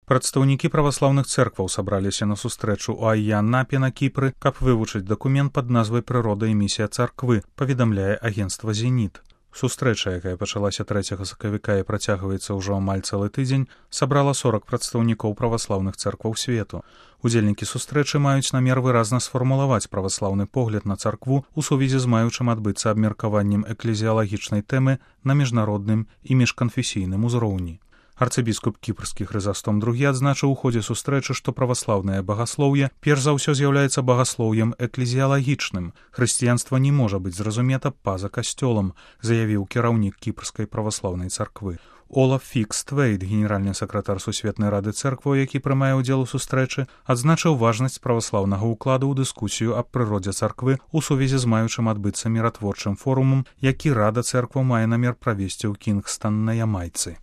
Прадстаўнікі праваслаўных цэркваў сабраліся на сустрэчу ў Айя-Напе на Кіпры, каб вывучыць дакумент пад назвай «Прырода і місія царквы», паведамляе агенцтва «Зеніт». Сустрэча, якая пачалася 3 сакавіка і працягваецца ўжо амаль цэлы тыдзень, сабрала 40 прадстаўнікоў праваслаўных цэркваў свету. Удзельнікі сустрэчы маюць намер выразна сфармулаваць праваслаўны погляд на царкву ў сувязі з маючым адбыцца абмеркаваннем эклезіялагічнай тэмы на міжнародным і міжканфесійным узроўні. Арцыбіскуп кіпрскі Хрызастом II адзначыў у ходзе сустрэчы, што праваслаўнае багаслоўе перш за ўсё з'яўляецца багаслоўем эклезіялагічным. Хрысціянства не можа быць зразумета па-за касцёлам, заявіў кіраўнік кіпрскай праваслаўнай царквы. Олаф Фікс-Твейд, генеральны сакратар Сусветнай рады цэркваў, які прымае ўдзел у сустрэчы, адзначыў важнасць праваслаўнага ўкладу ў дыскусію аб прыродзе царквы ў сувязі з маючым адбыцца міратворчым форумам, які рада цэркваў мае намер правесці ў Кінгстан на Ямайцы.